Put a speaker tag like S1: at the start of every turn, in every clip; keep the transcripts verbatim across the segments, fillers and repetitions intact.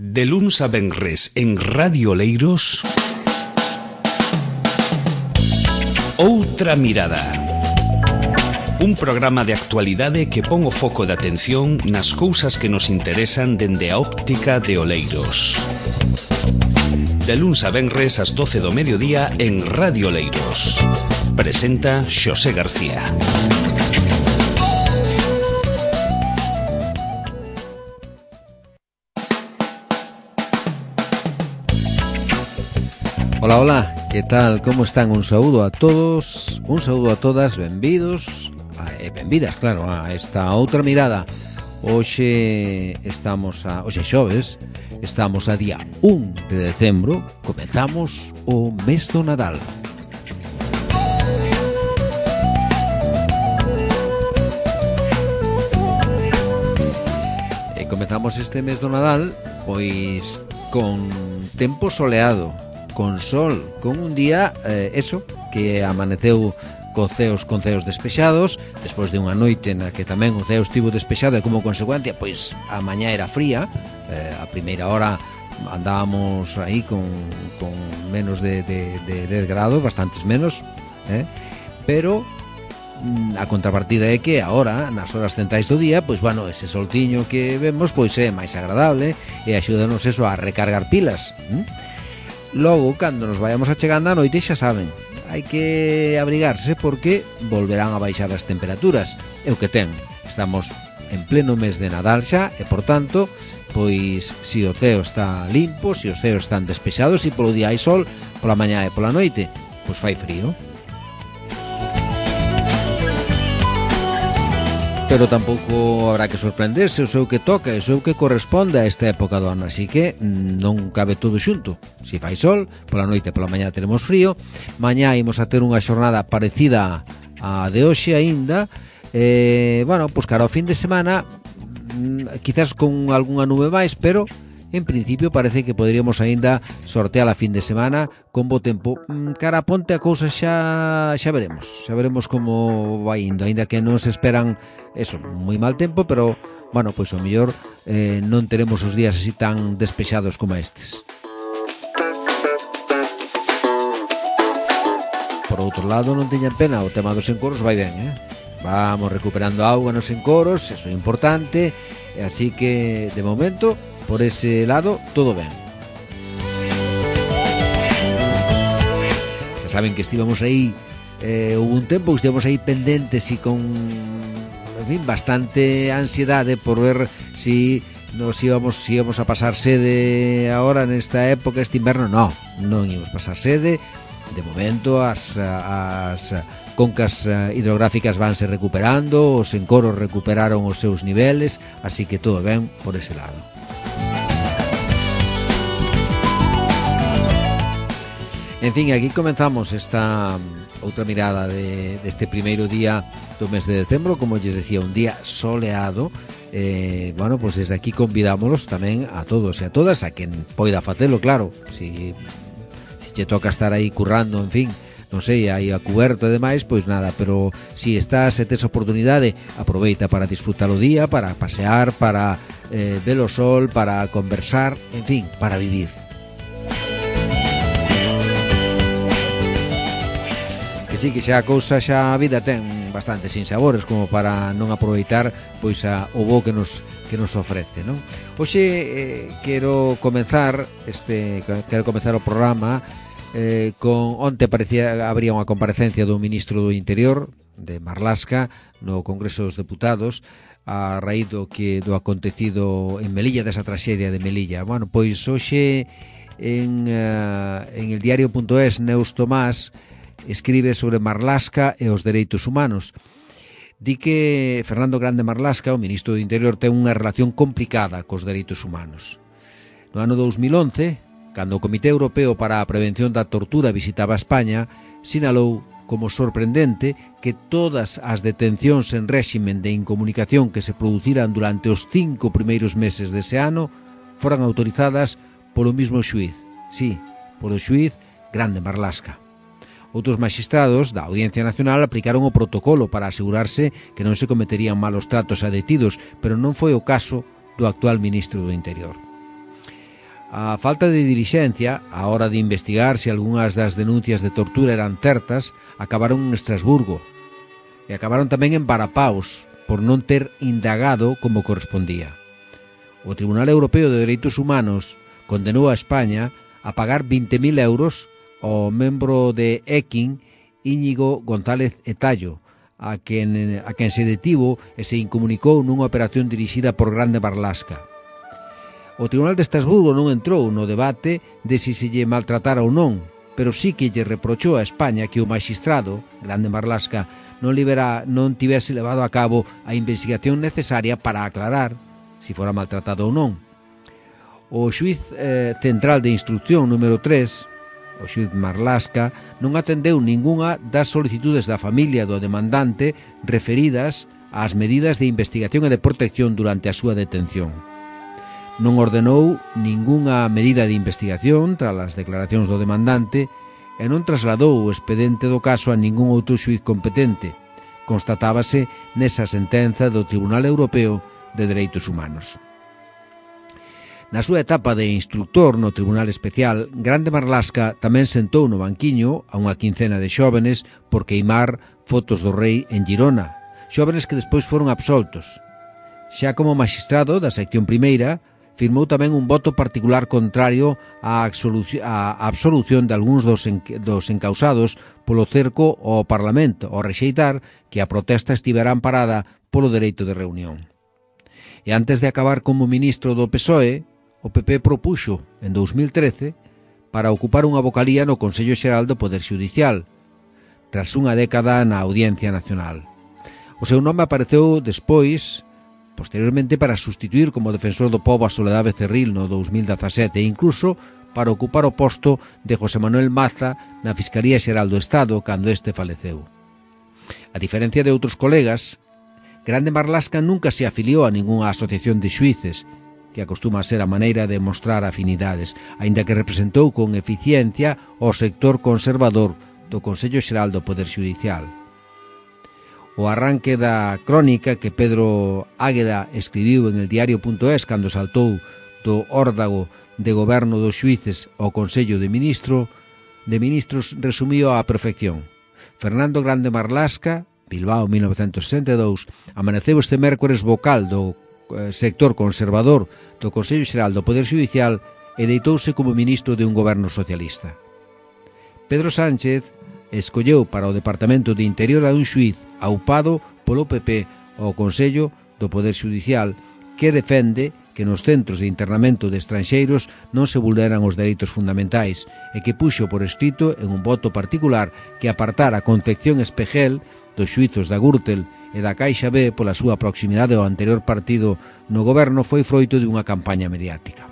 S1: De luns a venres en Radio Oleiros, Outra Mirada. Un programa de actualidade que pon o foco de atención nas cousas que nos interesan dende a óptica de Oleiros. De luns a venres ás doce do mediodía en Radio Oleiros. Presenta Xosé García.
S2: Hola, hola, que tal? Como están? Un saúdo a todos, un saúdo a todas, benvidos e benvidas, claro, a esta outra mirada. Hoxe estamos a, hoxe xoves, estamos a día un de decembro, comezamos o mes do Nadal. E comezamos este mes do Nadal, pois, con tempo soleado, con sol, con un día, eh, eso, que amaneceu co ceos con ceos despexados, despois de unha noite na que tamén o ceo estivo despexado e como consecuencia, pois a mañá era fría, eh, a primeira hora andábamos aí con, con menos de, de, de dez grados, bastantes menos, eh? pero a contrapartida é que agora, nas horas centrais do día, pois, bueno, ese soltiño que vemos, pois é máis agradable e axúdanos eso a recargar pilas, hm? Logo, cando nos vayamos achegando a noite, xa saben, hai que abrigarse porque volverán a baixar as temperaturas. É o que ten, estamos en pleno mes de Nadal xa e, por tanto, pois, se o ceo está limpo, se os ceos están despexados e polo día hai sol, pola mañá e pola noite, pois fai frío. Pero tampouco habrá que sorprenderse, o seu que toca, o seu que corresponde a esta época do ano, así que non cabe todo xunto. Se fai sol, pola noite e pola mañá teremos frío, mañá imos a ter unha xornada parecida a de hoxe aínda, eh, bueno, pois cara ao fin de semana, quizás con algunha nube máis, pero en principio parece que poderíamos aínda sortear a fin de semana con bo tempo. Cara a ponte a cousa xa xa veremos, xa veremos como vai indo, aínda que non se esperan eso, moi mal tempo, pero bueno, pois o mellor eh, non teremos os días así tan despexados como estes. Por outro lado, non teñan pena, o tema dos encoros vai ben, eh? Vamos recuperando auga nos encoros, eso é importante, e así que de momento por ese lado, todo ben. Ya saben que estivamos aí, eh, hubo un tempo que estivamos aí pendentes e con, en fin, bastante ansiedade por ver si nos íbamos, si íbamos a pasar sede ahora nesta época, este inverno. No, non íbamos pasar sede. De momento as, as concas hidrográficas vanse recuperando, os encoros recuperaron os seus niveles, así que todo ben por ese lado. En fin, aquí comenzamos esta outra mirada de, deste primeiro día do mes de decembro, como lles decía, un día soleado. Eh, bueno, pois desde aquí convidámonos tamén a todos e a todas, a quen poida facelo, claro, si, si che toca estar aí currando, en fin, non sei, aí a cuberto e demais, pois nada, pero si estás e tes oportunidade, aproveita para disfrutar o día, para pasear, para eh, ver o sol, para conversar, en fin, para vivir. Sí, que xa a cousa, xa a vida ten bastante sinsabores como para non aproveitar pois a, o bo que nos que nos ofrece, non? Hoxe eh, quero comenzar este quero comenzar o programa eh, con onte parecía habría unha comparecencia do ministro do Interior de Marlaska no Congreso dos Deputados a raíz do que do acontecido en Melilla, desa traxedia de Melilla. Bueno, pois hoxe en uh, en el diario punto es Neus Tomás escribe sobre Marlaska e os dereitos humanos. Di que Fernando Grande Marlaska, o ministro do Interior, ten unha relación complicada cos dereitos humanos. No ano dos mil once, cando o Comité Europeo para a Prevención da Tortura visitaba España, sinalou como sorprendente que todas as detencións en réximen de incomunicación que se produciran durante os cinco primeiros meses dese ano foran autorizadas polo mismo xuíz. Sí, polo xuíz Grande Marlaska. Outros maxistrados da Audiencia Nacional aplicaron o protocolo para asegurarse que non se cometerían malos tratos a detidos, pero non foi o caso do actual ministro do Interior. A falta de dirixencia, a hora de investigar se algunhas das denuncias de tortura eran certas, acabaron en Estrasburgo e acabaron tamén en Varapaus por non ter indagado como correspondía. O Tribunal Europeo de Dereitos Humanos condenou a España a pagar vinte mil euros ao membro de Ekin, Íñigo González Etallo, a quen, a quen se detivo e se incomunicou nunha operación dirixida por Grande Marlaska. O Tribunal de Estrasburgo non entrou no debate de se se lle maltratara ou non, pero sí que lle reprochou a España que o magistrado, Grande Marlaska, non, libera, non tivese levado a cabo a investigación necesaria para aclarar se fora maltratado ou non. O xuiz eh, central de instrucción número tres, o xuiz Marlaska, non atendeu ningunha das solicitudes da familia do demandante referidas ás medidas de investigación e de protección durante a súa detención. Non ordenou ningunha medida de investigación tras as declaracións do demandante e non trasladou o expedente do caso a ningún outro xuiz competente. Constatábase nesa sentenza do Tribunal Europeo de Dereitos Humanos. Na súa etapa de instructor no Tribunal Especial, Grande Marlaska tamén sentou no banquiño a unha quincena de xóvenes por queimar fotos do rei en Girona, xóvenes que despois foron absoltos. Xa como magistrado da sección primeira, firmou tamén un voto particular contrario á absolución de algúns dos, dos encausados polo cerco ao Parlamento, ao rexeitar que a protesta estivera amparada polo dereito de reunión. E antes de acabar como ministro do P S O E, o P P propuxo, en dous mil trece, para ocupar unha vocalía no Consello Xeral do Poder Xudicial, tras unha década na Audiencia Nacional. O seu nome apareceu despois, posteriormente, para sustituir como defensor do pobo a Soledad Becerril no dous mil dezasete e incluso para ocupar o posto de José Manuel Maza na Fiscalía Xeral do Estado cando este faleceu. A diferencia de outros colegas, Grande Marlaska nunca se afiliou a ningunha asociación de xuíces, que acostuma a ser a maneira de mostrar afinidades, aínda que representou con eficiencia o sector conservador do Consello Xeral do Poder Xudicial. O arranque da crónica que Pedro Águeda escribiu en el diario punto es cando saltou do órdago de goberno dos xuíces ao Consello de Ministro, de Ministros resumío á perfección. Fernando Grande Marlaska, Bilbao mil novecentos sesenta e dous, amaneceu este mércores vocal do sector conservador do Consello Xeral do Poder Xudicial e deitouse como ministro de un goberno socialista. Pedro Sánchez escolleu para o Departamento de Interior a un xuiz aupado polo P P ao Consello do Poder Xudicial que defende que nos centros de internamento de estranxeiros non se vulneran os dereitos fundamentais e que puxo por escrito en un voto particular que apartara a Concepción Espejel dos xuizos da Gürtel e da Caixa B pola súa proximidade ao anterior partido no goberno foi froito de unha campaña mediática.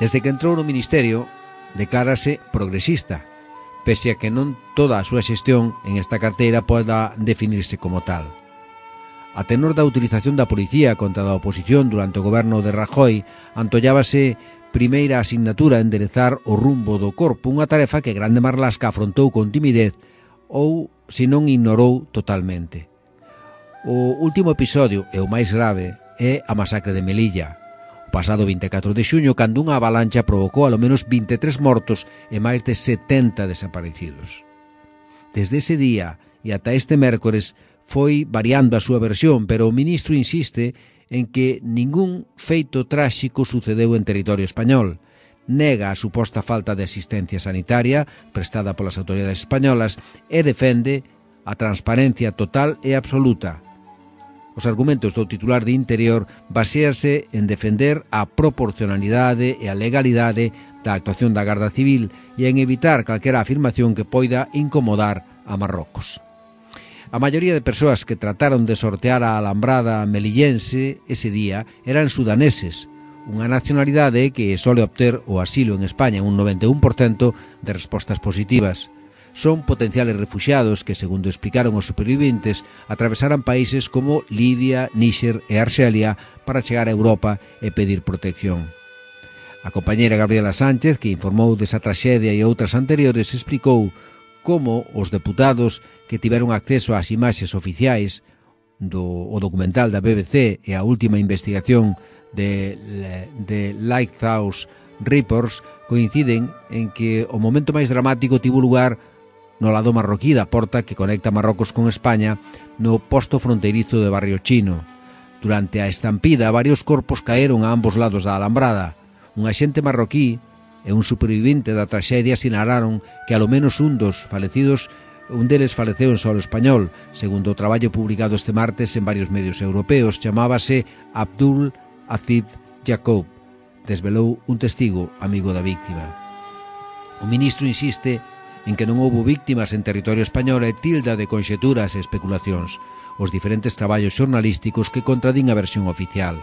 S2: Desde que entrou no Ministerio, declárase progresista, pese a que non toda a súa xestión en esta carteira poda definirse como tal. A tenor da utilización da policía contra a oposición durante o goberno de Rajoy, antollábase primeira asignatura enderezar o rumbo do corpo, unha tarefa que Grande Marlaska afrontou con timidez ou, se non ignorou totalmente. O último episodio, e o máis grave, é a masacre de Melilla, o pasado vinte e catro de xuño, cando unha avalancha provocou alo menos vinte e tres mortos e máis de setenta desaparecidos. Desde ese día e ata este mércores foi variando a súa versión, pero o ministro insiste en que ningún feito tráxico sucedeu en territorio español. Nega a suposta falta de asistencia sanitaria prestada polas autoridades españolas e defende a transparencia total e absoluta. Os argumentos do titular de Interior baséanse en defender a proporcionalidade e a legalidade da actuación da Garda Civil e en evitar calquera afirmación que poida incomodar a Marrocos. A maioría de persoas que trataron de sortear a alambrada melillense ese día eran sudaneses, unha nacionalidade que sole obter o asilo en España un noventa e un por cento de respostas positivas. Son potenciales refuxiados que, segundo explicaron os superviventes, atravesaran países como Libia, Níxer e Arxelia para chegar a Europa e pedir protección. A compañeira Gabriela Sánchez, que informou desa traxedia e outras anteriores, explicou como os deputados que tiveron acceso ás imaxes oficiais do o documental da B B C e a última investigación de, de Lighthouse Reports coinciden en que o momento máis dramático tivo lugar no lado marroquí da porta que conecta Marrocos con España no posto fronteirizo de Barrio Chino. Durante a estampida, varios corpos caeron a ambos lados da alambrada. Un axente marroquí e un supervivente da traxedia sinalaron que alo menos un dos falecidos, un deles faleceu en solo español, segundo o traballo publicado este martes en varios medios europeos. Chamábase Abdul Aziz Jacob, desvelou un testigo amigo da víctima. O ministro insiste en que non houbo víctimas en territorio español e tilda de conxeturas e especulacións os diferentes traballos xornalísticos que contradín a versión oficial.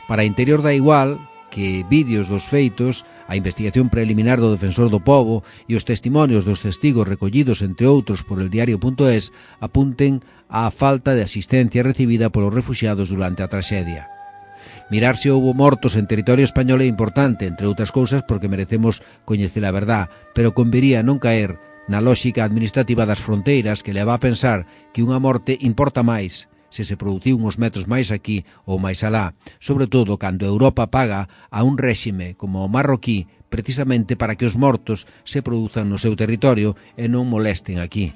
S2: Para Interior da igual que vídeos dos feitos, a investigación preliminar do Defensor do Pobo e os testimonios dos testigos recollidos, entre outros, por el diario punto es, apunten á falta de asistencia recibida polos refuxiados durante a traxedia. Mirar se houbo mortos en territorio español é importante, entre outras cousas, porque merecemos coñecer a verdad, pero convería non caer na lóxica administrativa das fronteiras que leva a pensar que unha morte importa máis se se produciu uns metros máis aquí ou máis alá, sobre todo cando Europa paga a un réxime como o marroquí precisamente para que os mortos se produzan no seu territorio e non molesten aquí.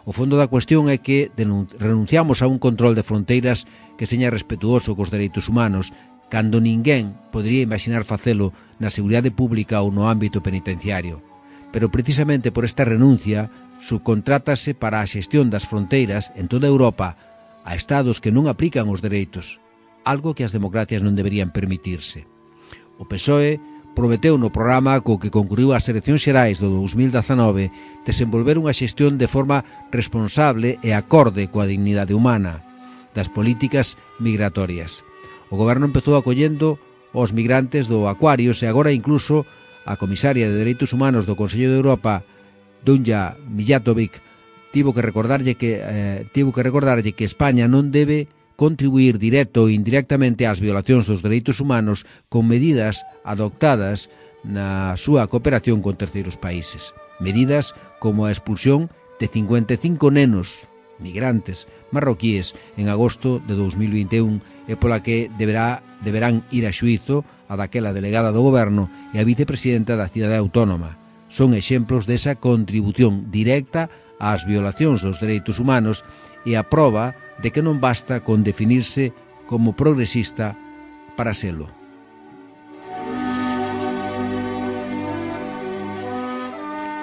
S2: O fondo da cuestión é que renunciamos a un control de fronteiras que seña respetuoso cos dereitos humanos, cando ninguén podería imaginar facelo na seguridade pública ou no ámbito penitenciario. Pero precisamente por esta renuncia subcontrátase para a xestión das fronteiras en toda Europa a estados que non aplican os dereitos, algo que as democracias non deberían permitirse. O P S O E prometeu no programa co que concluiu as eleccións xerais do dos mil dezanove desenvolver unha xestión de forma responsable e acorde coa dignidade humana das políticas migratorias. O goberno empezou acollendo os migrantes do Aquarius e agora incluso a comisaria de Dereitos Humanos do Consello de Europa, Dunja Mijatovic, tivo que recordarlle que eh, tivo que recordarlle que España non debe contribuir directo ou indirectamente ás violacións dos dereitos humanos con medidas adoptadas na súa cooperación con terceiros países. Medidas como a expulsión de cincuenta e cinco nenos migrantes marroquíes en agosto de dos mil vinte e un e pola que deberá, deberán ir a xuízo a daquela delegada do goberno e a vicepresidenta da cidade autónoma. Son exemplos desa contribución directa ás violacións dos dereitos humanos e a proba de que non basta con definirse como progresista para selo.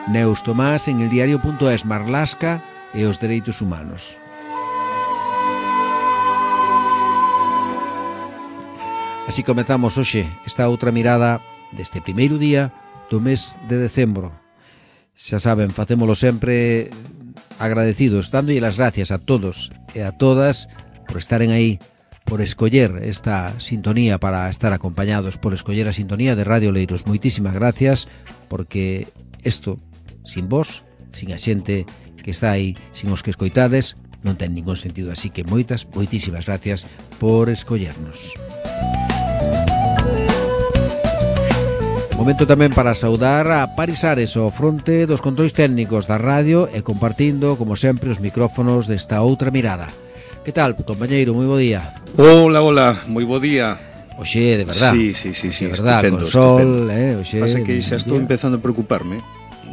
S2: Neus Tomás en el diario punto es, Marlaska e os dereitos humanos. Así comezamos hoxe esta outra mirada deste primeiro día do mes de decembro. Xa saben, facémolo sempre agradecidos, dándolle as gracias a todos e a todas por estaren aí, por escoller esta sintonía para estar acompañados, por escoller a sintonía de Radio Oleiros. Moitísimas gracias, porque isto, sin vos, sin a xente que está aí, sin os que escoitades, non ten ningún sentido. Así que moitas, moitísimas gracias por escollernos. Momento tamén para saudar a Paris Ares ao fronte dos controis técnicos da radio e compartindo, como sempre, os micrófonos desta outra mirada. Que tal, compañeiro? Moi bo día.
S3: Hola, hola, moi bo día.
S2: Oxe, de verdad.
S3: Sí, sí, sí, sí,
S2: de verdad,
S3: estupendo,
S2: con sol,
S3: estupendo.
S2: eh, oxe.
S3: Pasa que xa estou empezando a preocuparme.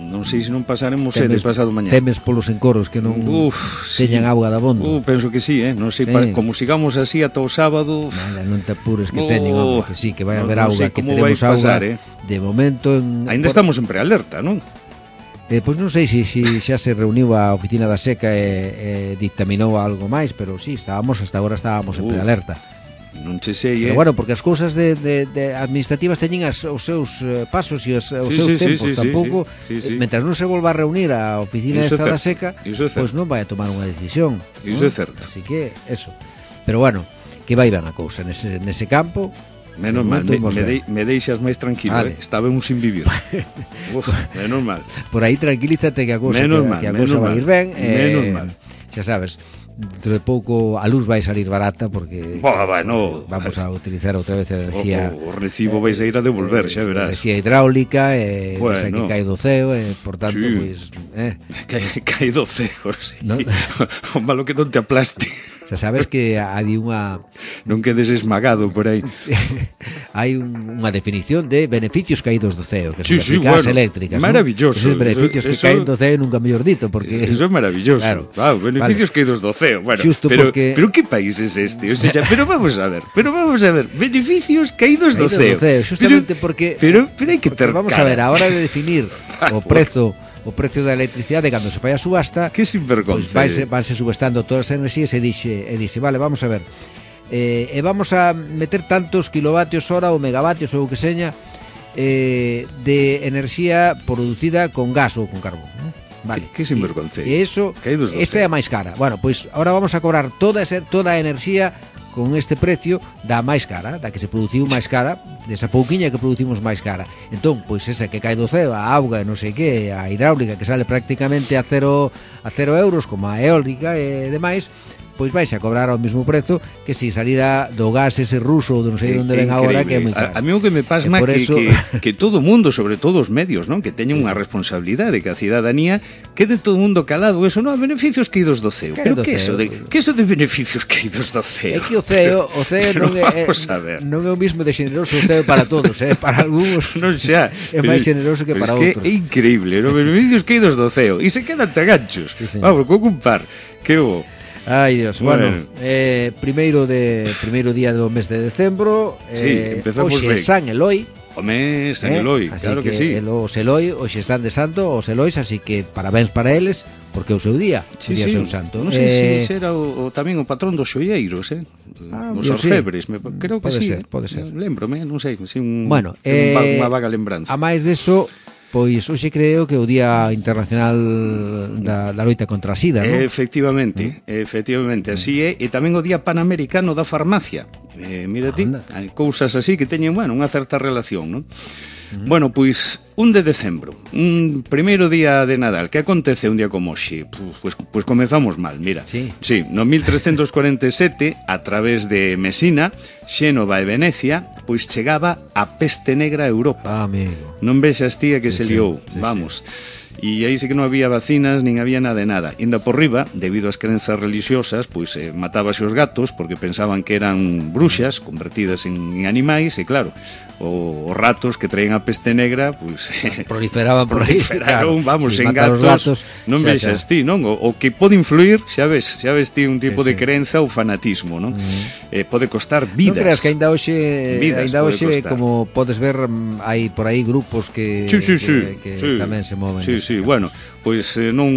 S3: Non sei se non pasaremos sede pasado mañá.
S2: Temes polos encoros que non Uf, teñan sí. auga da bondo.
S3: Uh, penso que sí, eh, non sei, sí. pa, como sigamos así ata o sábado.
S2: Nada, non te apures que oh, teñen, hombre, que sí, que vai a haber
S3: no,
S2: auga,
S3: no
S2: que teremos
S3: pasar,
S2: auga.
S3: Eh.
S2: De momento en
S3: Ainda por... estamos en prealerta, non?
S2: Eh, pois non sei se si, si xa se reuniu a oficina da Seca e, e dictaminou algo máis, pero sí, estábamos, hasta agora estábamos en uh. prealerta.
S3: Non che sei, eh?
S2: Pero bueno, porque as cousas de, de, de administrativas teñen as, os seus uh, pasos e os, os
S3: sí,
S2: seus
S3: sí,
S2: tempos,
S3: sí,
S2: tampouco
S3: sí, sí, sí.
S2: Mentras non se volva a reunir a oficina esta da Seca, pois pues non vai a tomar unha decisión.
S3: Iso
S2: ¿no?
S3: é certo.
S2: Así que, eso. Pero bueno, que vai ben a cousa nese, nese campo.
S3: Menos mal, me, me, de, me deixas máis tranquilo, vale. eh? Estaba un sin vivir. Uf, menos mal.
S2: Por aí tranquilízate que a cousa, que,
S3: mal,
S2: que a cousa vai ir ben.
S3: Menos
S2: eh,
S3: mal.
S2: Xa sabes, dentro de pouco a luz vai salir barata porque
S3: Boa, bueno,
S2: vamos a utilizar outra vez a enerxía.
S3: O, o recibo vais a ir a devolver, xa verás.
S2: Enerxía hidráulica e eh,
S3: bueno,
S2: esa que cae do ceo e, eh, por tanto,
S3: sí.
S2: pois... Eh.
S3: Cae, cae do ceo, sí.
S2: ¿No?
S3: O malo que non te aplaste.
S2: Xa sabes que hai unha...
S3: Non quedes esmagado por aí.
S2: Hai un, unha definición de beneficios caídos do ceo, que
S3: sí,
S2: son
S3: sí,
S2: eficaz
S3: bueno,
S2: eléctricas,
S3: maravilloso.
S2: ¿no? Esos beneficios eso, que caen do ceo nunca mellor dito, porque...
S3: Eso é maravilloso. Claro, wow, beneficios vale. caídos do ceo. Bueno,
S2: Xusto
S3: pero,
S2: porque...
S3: pero que país es este? O sea, pero vamos a ver, pero vamos a ver, beneficios caídos, caídos do ceo.
S2: Do ceo, justamente
S3: pero,
S2: porque...
S3: Pero, pero hai que ter
S2: vamos
S3: cara.
S2: a ver, a hora de definir o prezo o precio da electricidade cando se fai a subasta,
S3: que sinvergonza.
S2: Pois vanse, vanse subastando todas as enerxías e dixe, e dixe, vale, vamos a ver. Eh, e vamos a meter tantos kilovatios hora ou megavatios ou o que seña eh, de enerxía producida con gas ou con carbón, ¿no? Vale.
S3: Que, que sinvergonza.
S2: E iso, esta é a máis cara. Bueno, pois agora vamos a cobrar toda esa, toda a enerxía con este precio da máis cara, da que se produciu máis cara, desa pouquiña que producimos máis cara. Entón, pois esa que cae do ceo, a auga, non sei que, a hidráulica que sale prácticamente a cero, a cero euros, como a eólica e demais, pois vais a cobrar ao mesmo prezo que se salira do gas ese ruso ou non sei onde ven agora, que é moi caro.
S3: A, a mí o que me pasma que, eso... que, que todo o mundo, sobre todo os medios, non, que teñen unha responsabilidade, que a cidadanía quede todo o mundo calado, eso non, beneficios caídos do ceo. Pero que eso de que eso de beneficios caídos do ceo?
S2: É que o ceo, o ceo non é non é o mismo de xeneroso o ceo para todos, eh, para algúns
S3: non xa,
S2: é máis xeneroso que para outros.
S3: É increíble, non, beneficios caídos do ceo e se quedan taganchos. Sí, vamos, co compar, que o
S2: Ai, Dios, bueno, bueno eh, primeiro de primeiro día do mes de decembro,
S3: eh, sí, empezamos
S2: hoxe
S3: ben.
S2: San Eloi.
S3: Home, San eh, Eloi, claro que, que sí.
S2: Os Eloi, hoxe están de santo, os Elois, así que parabéns para eles, porque é o seu día,
S3: sí,
S2: o día
S3: sí.
S2: seu santo.
S3: Non sei eh, se era o, o, tamén o patrón dos xoieiros, eh? Ah, os orfebres, sí. me, creo que
S2: pode
S3: sí.
S2: Ser, pode ser.
S3: Lembrome, non sei, si un,
S2: bueno,
S3: un, eh, unha vaga
S2: A
S3: lembranza.
S2: máis deso, pois hoxe creo que é o Día Internacional da, da loita contra a sida, non?
S3: Efectivamente, mm. efectivamente, así é. E tamén o Día Panamericano da Farmacia. Eh, mira ti, hai cousas así que teñen, bueno, unha certa relación, non? Mm. Bueno, pois, un de decembro, un primeiro día de Nadal. Que acontece un día como hoxe? Pois, pois comezamos mal, mira.
S2: Sí.
S3: Sí, no mil trescentos cuarenta e sete, a través de Mesina, Xénova e Venecia, pois chegaba a peste negra a Europa.
S2: Ah, amigo.
S3: Non vexas tía que sí, se liou,
S2: sí,
S3: vamos.
S2: Sí.
S3: E aí sí que non había vacinas, nin había nada de nada. Inda por riba, debido ás crenzas religiosas, pois eh, matábase os gatos porque pensaban que eran bruxas convertidas en, en animais, e claro, o, os ratos que traen a peste negra, pois
S2: proliferaban por aí,
S3: proliferaron,
S2: claro,
S3: vamos,
S2: si
S3: en gatos,
S2: gatos,
S3: non
S2: xa,
S3: vexas
S2: xa.
S3: ti, non? O, o que pode influir, xa ves, xa ves ti un tipo
S2: sí,
S3: de
S2: sí.
S3: crenza ou fanatismo, non? Uh-huh. Eh, pode costar vidas.
S2: Non creas que ainda hoxe,
S3: vidas
S2: ainda hoxe
S3: costar.
S2: Como podes ver, hai por aí grupos que,
S3: sí, sí, sí,
S2: que, que
S3: sí.
S2: tamén se moven.
S3: Sí, sí, bueno, pois eh, non,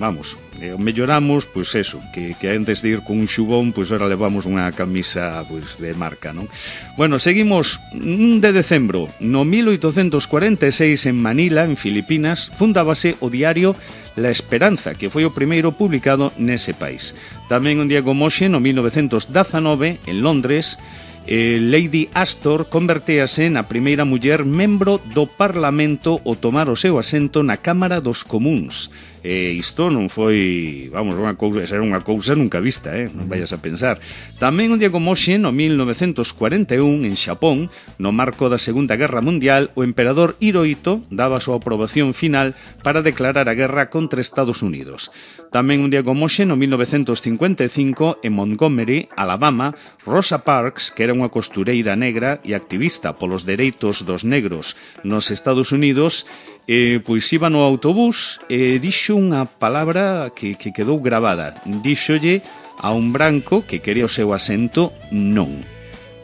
S3: vamos, eh, melloramos, pois eso, que, que antes de ir con un xubón, pois ahora levamos unha camisa pois de marca, non? Bueno, seguimos un de decembro, no mil oitocentos cuarenta e seis en Manila, en Filipinas, fundábase o diario La Esperanza, que foi o primeiro publicado nese país. Tamén un día como hoxe, no mil novecentos dezanove, en Londres, Eh, Lady Astor convertéase na primeira muller membro do Parlamento ao tomar o seu asento na Cámara dos Comuns. E isto non foi, vamos, unha cousa, era unha cousa nunca vista, eh? Non vayas a pensar. Tamén un día como hoxe, no mil novecentos cuarenta e un, en Xapón, no marco da Segunda Guerra Mundial, o emperador Hirohito daba a súa aprobación final para declarar a guerra contra Estados Unidos. Tamén un día como hoxe, no mil novecentos cincuenta e cinco, en Montgomery, Alabama, Rosa Parks, que era unha costureira negra e activista polos dereitos dos negros nos Estados Unidos, eh, pois iba no autobús e dixo unha palabra que, que quedou gravada. Díxolle a un branco que quería o seu asento non.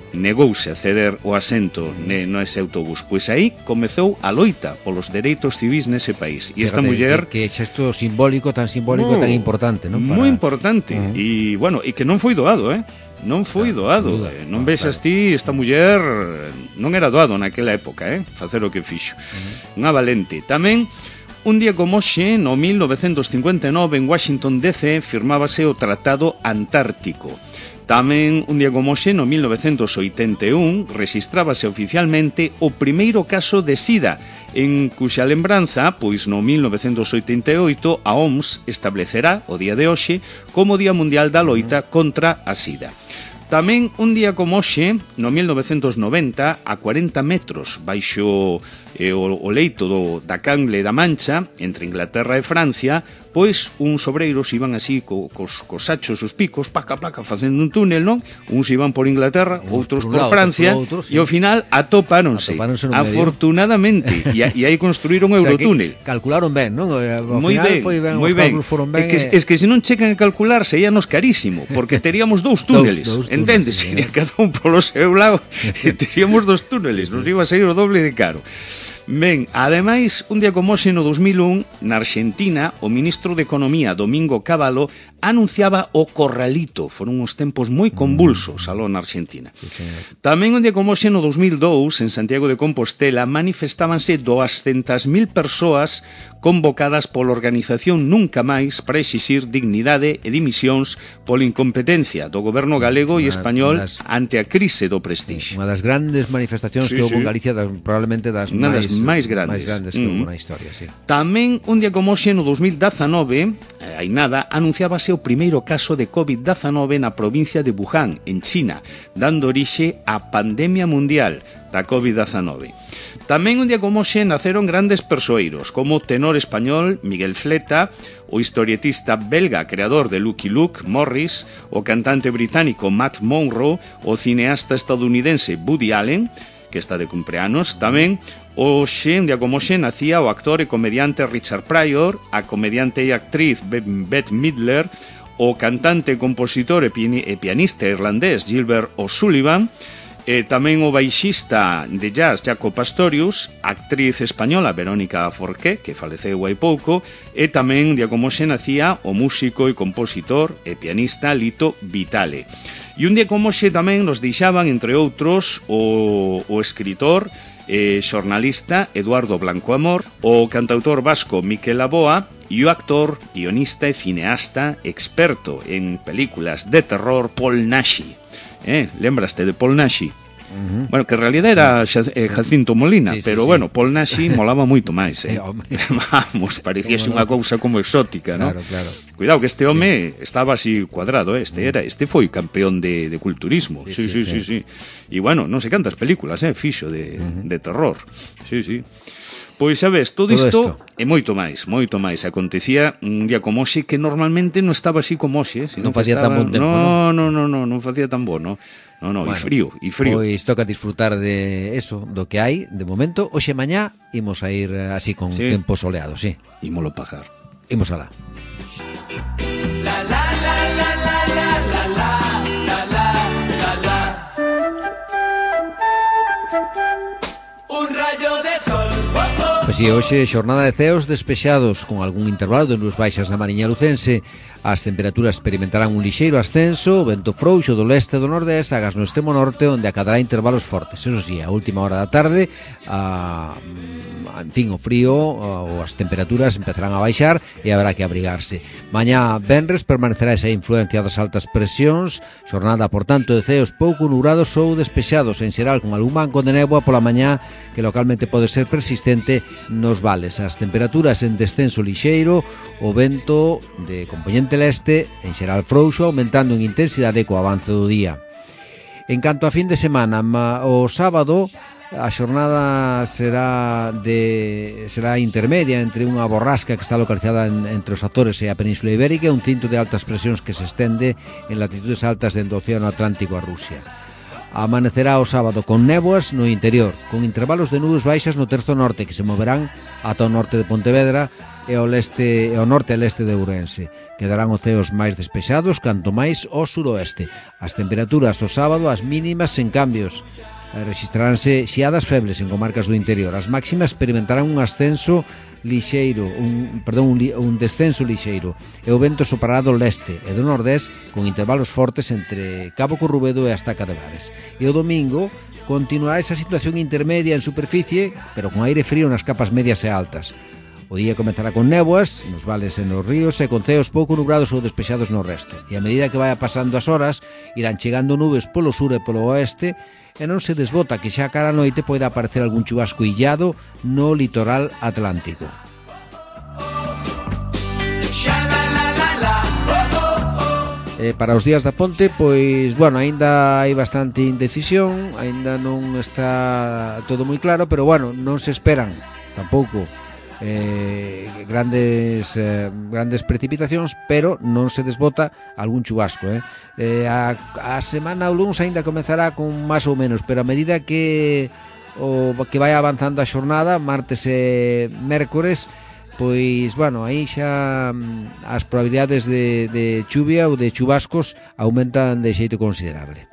S3: Negouse a ceder o asento ne, no ese autobús. Pois aí comezou a loita polos dereitos civis nese país. E esta muller...
S2: Que, que xesto simbólico, tan simbólico, no, tan importante, non? Para...
S3: Moi importante. Uh-huh. E, bueno, e que non foi doado, eh? Non foi claro, doado. Duda, non claro, vexas ti, esta muller non era doado naquela época, eh? Facer o que fixo. Uh-huh. Unha valente. Tamén, un día como hoxe, no mil novecentos cincuenta e nove, en Washington D C, firmábase o Tratado Antártico. Tamén, un día como hoxe, no mil novecentos oitenta e un, rexistrábase oficialmente o primeiro caso de sida, en cuxa lembranza, pois no mil novecentos oitenta e oito, a O M S establecerá o día de hoxe como Día Mundial da Loita contra a sida. Tamén, un día como hoxe, no mil novecentos noventa, a cuarenta metros baixo eh, o, o leito do, da Canle da Mancha, entre Inglaterra e Francia, pois uns obreiros iban así co, cos, cos sachos, os picos, placa, placa, facendo un túnel, non? Uns iban por Inglaterra, uns outros por, por lado, Francia, outros, sí. E ao final atopáronse, atopáronse afortunadamente, e, e aí construíron o Eurotúnel.
S2: O sea, calcularon ben, non? Ao
S3: moi
S2: final
S3: ben,
S2: foi ben,
S3: moi ben.
S2: Foron ben.
S3: É que, e... es que se non checan a calcular, seríanos carísimo, porque teríamos dous túneles, dous, dous entendes? Sería cada un polo seu lado, e teríamos dos túneles, nos iba a sair o doble de caro. Ben, ademais, un día como hoxe no dos mil un, na Argentina, o ministro de Economía, Domingo Cavallo, anunciaba o corralito. Foron uns tempos moi convulsos aló na Argentina. Sí, tamén un día como hoxe no dos mil dous, en Santiago de Compostela, manifestábanse doscientas mil persoas convocadas pola organización Nunca Máis para exixir dignidade e dimisións pola incompetencia do goberno galego e español das, ante a crise do Prestige.
S2: Unha das grandes manifestacións sí, que houve sí. en Galicia, das, probablemente das
S3: Unha
S2: máis,
S3: das máis grandes,
S2: máis grandes que mm. houve na historia. Sí.
S3: Tamén un día como hoxe no dos mil dezanove, eh, hai nada, anunciábase o primeiro caso de covid dezanove na provincia de Wuhan, en China, dando orixe á pandemia mundial da covid dezanove. Tamén un día como hoxe naceron grandes persoeiros, como o tenor español Miguel Fleta, o historietista belga creador de Lucky Luke, Morris, o cantante británico Matt Monro, o cineasta estadounidense Woody Allen, que está de cumpleanos. Tamén hoxe, un día como hoxe, nacía o actor e comediante Richard Pryor, a comediante e actriz Bette Midler, o cantante, compositor e pianista irlandés Gilbert O'Sullivan, e tamén o baixista de jazz Jaco Pastorius, actriz española Verónica Forqué, que faleceu hai pouco, e tamén, día como xe, nacía o músico e compositor e pianista Lito Vitale. E un día como xe tamén nos deixaban, entre outros, o, o escritor e xornalista Eduardo Blanco Amor, o cantautor vasco Miquel Aboa e o actor, guionista e cineasta experto en películas de terror Paul Naschy. Eh, lembraste de Paul Naschy? Uh-huh. Bueno, que en realidad era eh, Jacinto Molina, sí, sí, pero sí, bueno, sí. Paul Naschy molaba moito máis, eh. Vamos, parecíase unha cousa como exótica, ¿no?
S2: Claro, claro.
S3: Cuidado que este home sí. estaba así cuadrado, eh. Este era, este foi campeón de, de culturismo. Sí, sí, sí, sí, sí. E bueno, non sei cantas películas, eh, fixo de, uh-huh. de terror. Sí, sí. Pois xa ves, todo, todo isto e moito máis, moito máis acontecía un día como hoxe, que normalmente non estaba así como hoxe,
S2: non facía estaba... tan bon tempo,
S3: no, no, no, no, non facía tan bon, no. No, no, bueno, e frío, e frío.
S2: Pois toca disfrutar de eso, do que hai de momento. Hoxe mañá imos a ir así con sí. tempo soleado, sí.
S3: Ímolo pagar.
S2: Imos alá. La la la la la la la la la la. Un rayo de sol. Pois si, hoxe xornada de ceos despexados con algún intervalo de nubes baixas na Mariña Lucense. As temperaturas experimentarán un lixeiro ascenso, o vento frouxo do leste e do nordés, agas no extremo norte, onde acadará intervalos fortes. Eso sí, a última hora da tarde, a, en fin, o frío ou as temperaturas empezarán a baixar e haberá que abrigarse. Mañá venres permanecerá esa influencia das altas presións, xornada, por tanto, de ceos pouco nubrados ou despexados, en xeral con algún banco de néboa pola mañá que localmente pode ser persistente nos vales. As temperaturas en descenso lixeiro, o vento de componente leste, en xeral frouxo, aumentando en intensidade co avance do día. En canto a fin de semana, o sábado a xornada será de será intermedia entre unha borrasca que está localizada en, entre os Azores e a Península Ibérica e un cinto de altas presións que se estende en latitudes altas dentro do Océano Atlántico a Rusia. Amanecerá o sábado con néboas no interior, con intervalos de nubes baixas no terzo norte que se moverán ata o norte de Pontevedra e ao leste e ao norte e leste de Ourense. Quedarán oceos máis despexados, canto máis ao suroeste. As temperaturas o sábado, as mínimas sen cambios. Registraránse xiadas febles en comarcas do interior. As máximas experimentarán un ascenso lixeiro, un, perdón, un, un descenso lixeiro, e o vento soprará do leste e do nordés con intervalos fortes entre Cabo Corrubedo e Estaca de Bares. E o domingo continuará esa situación intermedia en superficie, pero con aire frío nas capas medias e altas. O día comezará con néboas nos vales e nos ríos e con ceos pouco nubrados ou despexados no resto. E a medida que vaya pasando as horas, irán chegando nubes polo sur e polo oeste e non se desbota que xa cara a noite poida aparecer algún chubasco illado no litoral atlántico. E para os días da ponte, pois, bueno, aínda hai bastante indecisión, aínda non está todo moi claro, pero, bueno, non se esperan tampouco eh, grandes eh, grandes precipitacións, pero non se desbota algún chubasco, eh? Eh, a, a semana o luns aínda comezará con máis ou menos, pero a medida que o que vai avanzando a xornada, martes e mércores, pois, bueno, aí xa as probabilidades de, de chuvia ou de chubascos aumentan de xeito considerable.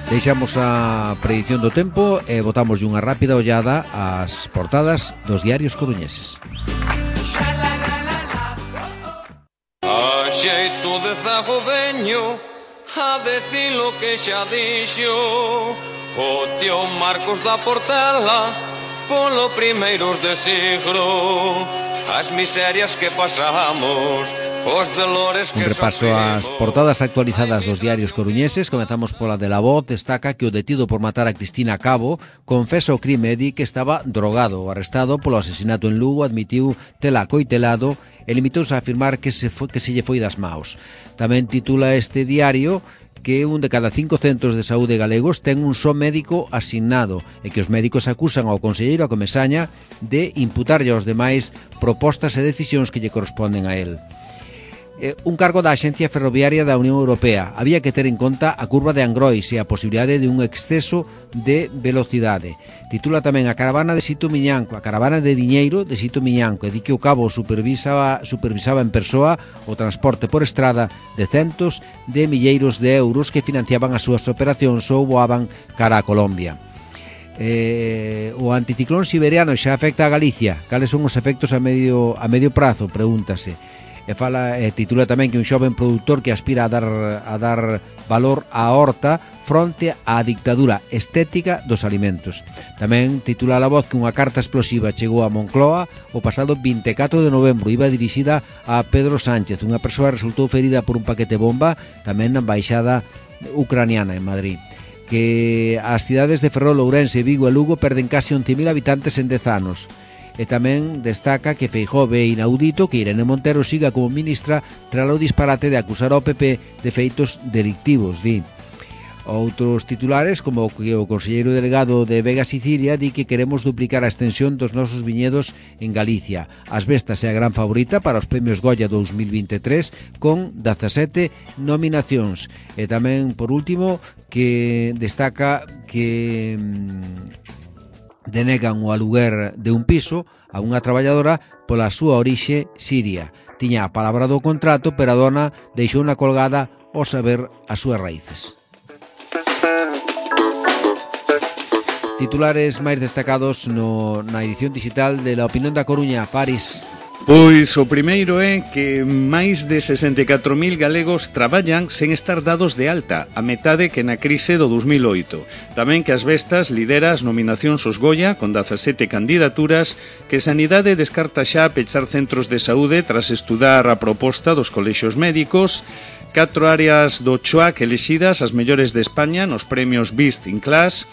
S2: Deixamos a predición do tempo e botamos unha rápida ollada ás portadas dos diarios coruñeses.
S4: A xeito de zago veño a decir lo que xa dixo o tío Marcos da Portela polo primeiros de siglo, as miserias que pasamos, os dolores que
S2: un repaso ás portadas actualizadas dos diarios coruñeses. Comezamos pola de La Voz. Destaca que o detido por matar a Cristina Cabo confesa o crime e di que estaba drogado. O arrestado polo asesinato en Lugo admitiu tela coitelado e limitouse a afirmar que se, foi, que se lle foi das maos. Tamén titula este diario que un de cada cinco centros de saúde galegos ten un só médico asignado e que os médicos acusan ao conselleiro a Comesaña de imputarlle aos demais propostas e decisións que lle corresponden a él. Eh, un cargo da Axencia Ferroviaria da Unión Europea. Había que ter en conta a curva de Angrois e a posibilidade de un exceso de velocidade. Titula tamén a caravana de Sito Miñanco, a caravana de diñeiro de Sito Miñanco, e di que o cabo supervisaba, supervisaba en persoa o transporte por estrada de centos de milleiros de euros que financiaban as súas operacións ou voaban cara a Colombia. Eh, o anticiclón siberiano xa afecta a Galicia. Cales son os efectos a medio, a medio prazo? Pregúntase. E fala, e titula tamén que un xoven produtor que aspira a dar, a dar valor á horta fronte á dictadura estética dos alimentos. Tamén titula a La Voz que unha carta explosiva chegou a Moncloa o pasado vinte e catro de novembro. Iba dirixida a Pedro Sánchez. Unha persoa resultou ferida por un paquete bomba tamén na embaixada ucraniana en Madrid. Que as cidades de Ferrol, Ourense, Vigo e Lugo perden case once mil habitantes en dez anos. E tamén destaca que Feijóo ve inaudito que Irene Montero siga como ministra tras o disparate de acusar ao P P de feitos delictivos, di. Outros titulares, como que o conselleiro delegado de Vega Sicilia di que queremos duplicar a extensión dos nosos viñedos en Galicia. As Vestas é a gran favorita para os premios Goya dous mil vinte e tres con dezasete nominacións. E tamén, por último, que destaca que denegan o aluguer de un piso a unha traballadora pola súa orixe siria. Tiña a palabra do contrato, pero a dona deixou na colgada ao saber as súas raíces. Titulares máis destacados no, na edición digital de La Opinión da Coruña, París.
S3: Pois o primeiro é que máis de sesenta e catro mil galegos traballan sen estar dados de alta, a metade que na crise do dos mil oito. Tamén que As Vestas lidera as nominacións aos Goya con dezasete candidaturas, que Sanidade descarta xa pechar centros de saúde tras estudar a proposta dos colexios médicos, catro áreas do Choac elexidas as mellores de España nos premios Best in Class.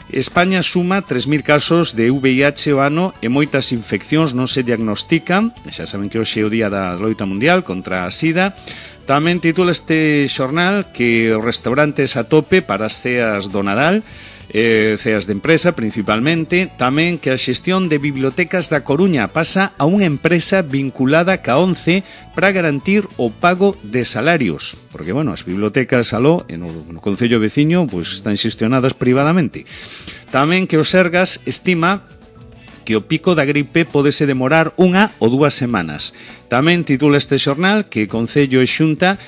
S3: España suma tres mil casos de V I H o ano e moitas infeccións non se diagnostican. Xa saben que hoxe é o día da loita mundial contra a SIDA. Tamén titula este xornal que os restaurantes a tope para as ceas do Nadal, eh, ceas de empresa principalmente. Tamén que a xestión de bibliotecas da Coruña pasa a unha empresa vinculada ca ONCE para garantir o pago de salarios, porque, bueno, as bibliotecas aló, no, no concello veciño, pues, están xestionadas privadamente. Tamén que o Sergas estima que o pico da gripe pódese demorar unha ou dúas semanas. Tamén titula este xornal que Concello e Xunta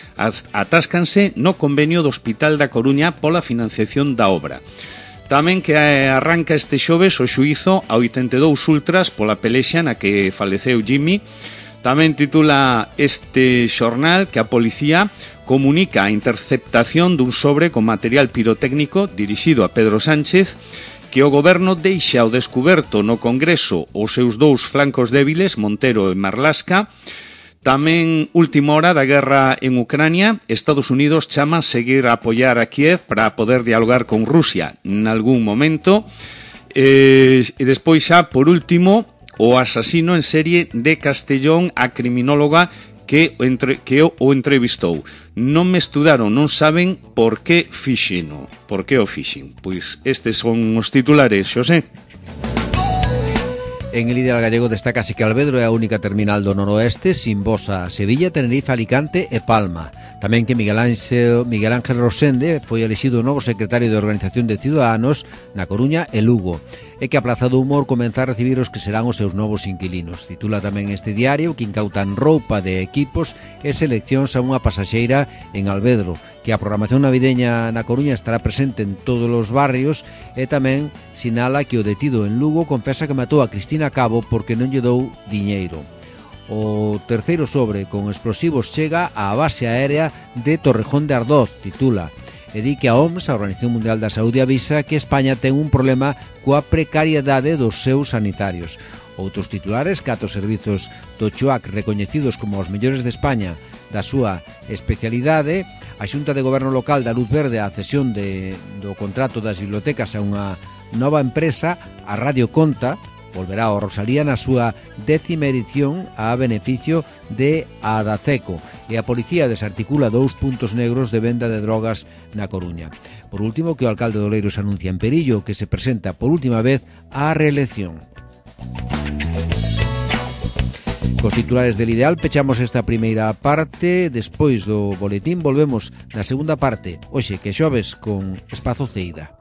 S3: atáscanse no convenio do Hospital da Coruña pola financiación da obra. Tamén que arranca este xoves o xuízo a oitenta e dous ultras pola pelexa na que faleceu Jimmy. Tamén titula este xornal que a policía comunica a interceptación dun sobre con material pirotécnico dirixido a Pedro Sánchez, que o goberno deixa ao descuberto no Congreso os seus dous flancos débiles, Montero e Marlaska. Tamén, última hora da guerra en Ucrania, Estados Unidos chama a seguir a apoiar a Kiev para poder dialogar con Rusia en algún momento. E, e despois xa, por último, o asasino en serie de Castellón, a criminóloga que, entre, que o, o entrevistou. Non me estudaron, non saben por que fixeno. Por que o fixen? Pois estes son os titulares, Xosé.
S2: En el ideal gallego destacase que Alvedro é a única terminal do noroeste sin voz a Sevilla, Tenerife, Alicante e Palma. Tamén que Miguel Ángel, Miguel Ángel Rosende foi elixido novo secretario de Organización de Ciudadanos na Coruña e Lugo, e que a Plaza do Humor comeza a recibir os que serán os seus novos inquilinos. Titula tamén este diario que incautan roupa de equipos e seleccións a unha pasaxeira en Alvedro, que a programación navideña na Coruña estará presente en todos os barrios, e tamén sinala que o detido en Lugo confesa que matou a Cristina Cabo porque non lle dou diñeiro. O terceiro sobre con explosivos chega á base aérea de Torrejón de Ardoz, titula, e di que a O M S, a Organización Mundial da Saúde, avisa que España ten un problema coa precariedade dos seus sanitarios. Outros titulares, catro servizos do Chuac recoñecidos como os mellores de España da súa especialidade. A Xunta de Goberno Local da luz verde á cesión de, do contrato das bibliotecas a unha nova empresa, a Radio Conta, volverá ao Rosalía na súa décima edición a beneficio de Adaceco, e a policía desarticula dous puntos negros de venda de drogas na Coruña. Por último, que o alcalde de Oleiros anuncia en Perillo que se presenta por última vez á reelección. Cos titulares del Ideal pechamos esta primeira parte. Despois do boletín volvemos na segunda parte, hoxe que xoves con Espazo Ceida.